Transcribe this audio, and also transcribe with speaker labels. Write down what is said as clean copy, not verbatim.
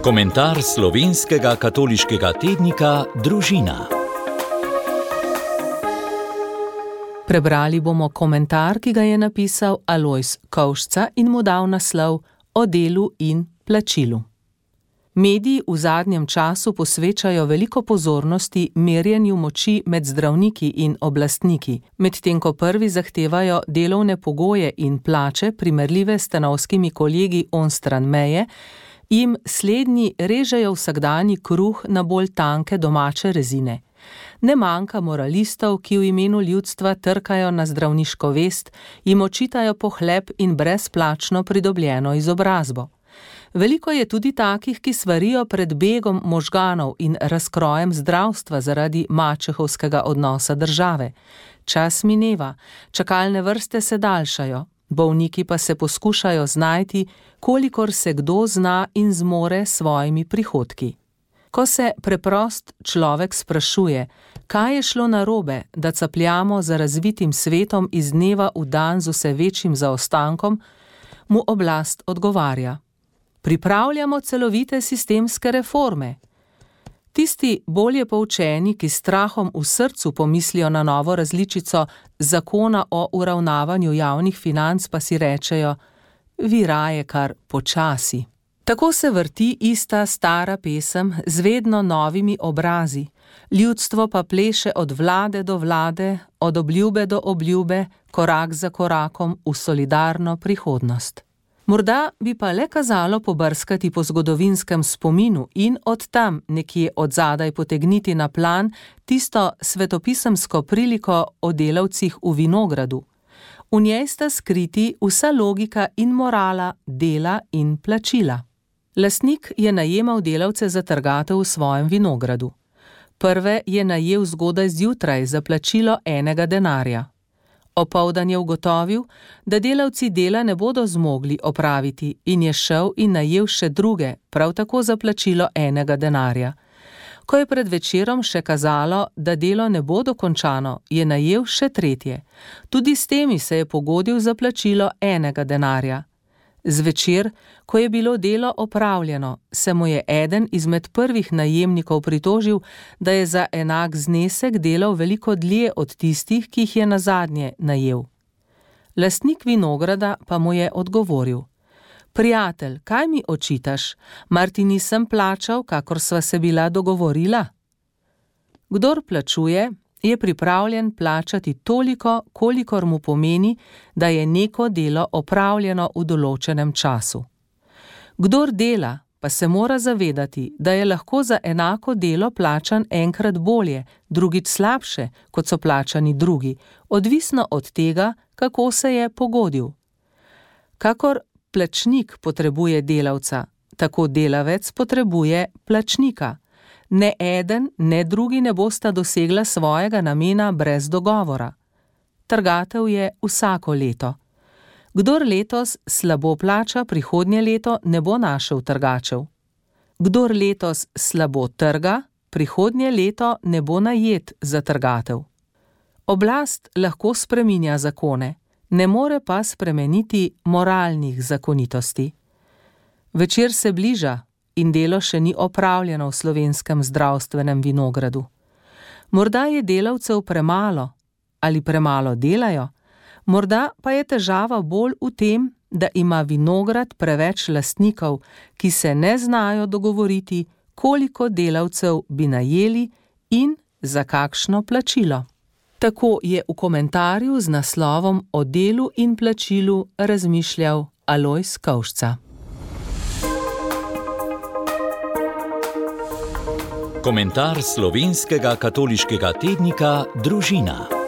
Speaker 1: Komentar slovenskega katoliškega tednika Družina.
Speaker 2: Prebrali bomo komentar, ki ga je napisal Alojz Kovšca in mu dal naslov O delu in plačilu. Mediji v zadnjem času posvečajo veliko pozornosti merjenju moči med zdravniki in oblastniki, medtem ko prvi zahtevajo delovne pogoje in plače primerljive s stanovskimi kolegi onstran meje, jim slednji režejo vsakdanji kruh na bolj tanke domače rezine. Ne manjka moralistov, ki v imenu ljudstva trkajo na zdravniško vest, jim očitajo pohlep in brezplačno pridobljeno izobrazbo. Veliko je tudi takih, ki svarijo pred begom možganov in razkrojem zdravstva zaradi mačehovskega odnosa države. Čas mineva, čakalne vrste se daljšajo, bolniki pa se poskušajo znajti, kolikor se kdo zna in zmore s svojimi prihodki. Ko se preprost človek sprašuje, kaj je šlo narobe, da capljamo za razvitim svetom iz dneva v dan z vse večjim zaostankom, mu oblast odgovarja: pripravljamo celovite sistemske reforme. Tisti bolje poučeni, ki s strahom v srcu pomislijo na novo različico zakona o uravnavanju javnih financ, pa si rečejo: vi raje kar počasi. Tako se vrti ista stara pesem z vedno novimi obrazi, ljudstvo pa pleše od vlade do vlade, od obljube do obljube, korak za korakom v solidarno prihodnost. Morda bi pa le kazalo pobrskati po zgodovinskem spominu in od tam nekje odzadaj potegniti na plan tisto svetopisemsko priliko o delavcih v vinogradu. V njej sta skriti vsa logika in morala dela in plačila. Lastnik je najemal delavce za trgatev v svojem vinogradu. Prve je najel zgodaj zjutraj za plačilo enega denarja. Opoldan je ugotovil, da delavci dela ne bodo zmogli opraviti in je šel in najel še druge, prav tako za plačilo enega denarja. Ko je pred večerom še kazalo, da delo ne bo dokončano, je najel še tretje. Tudi s temi se je pogodil za plačilo enega denarja. Zvečer, ko je bilo delo opravljeno, se mu je eden izmed prvih najemnikov pritožil, da je za enak znesek delal veliko dlje od tistih, ki jih je nazadnje najel. Lastnik vinograda pa mu je odgovoril: prijatelj, kaj mi očitaš, mar ti nisem plačal, kakor sva se bila dogovorila? Kdor plačuje, je pripravljen plačati toliko, kolikor mu pomeni, da je neko delo opravljeno v določenem času. Kdor dela, pa se mora zavedati, da je lahko za enako delo plačan enkrat bolje, drugič slabše, kot so plačani drugi, odvisno od tega, kako se je pogodil. Kakor plačnik potrebuje delavca, tako delavec potrebuje plačnika. Ne eden, ne drugi ne bosta dosegla svojega namena brez dogovora. Trgatev je vsako leto. Kdor letos slabo plača, prihodnje leto ne bo našel trgačev. Kdor letos slabo trga, prihodnje leto ne bo najet za trgatev. Oblast lahko spreminja zakone, ne more pa spremeniti moralnih zakonitosti. Večer se bliža in delo še ni opravljeno v slovenskem zdravstvenem vinogradu. Morda je delavcev premalo ali premalo delajo, morda pa je težava bolj v tem, da ima vinograd preveč lastnikov, ki se ne znajo dogovoriti, koliko delavcev bi najeli in za kakšno plačilo. Tako je v komentarju z naslovom O delu in plačilu razmišljal Alojz Kovšca.
Speaker 1: Komentar slovenskega katoliškega tednika Družina.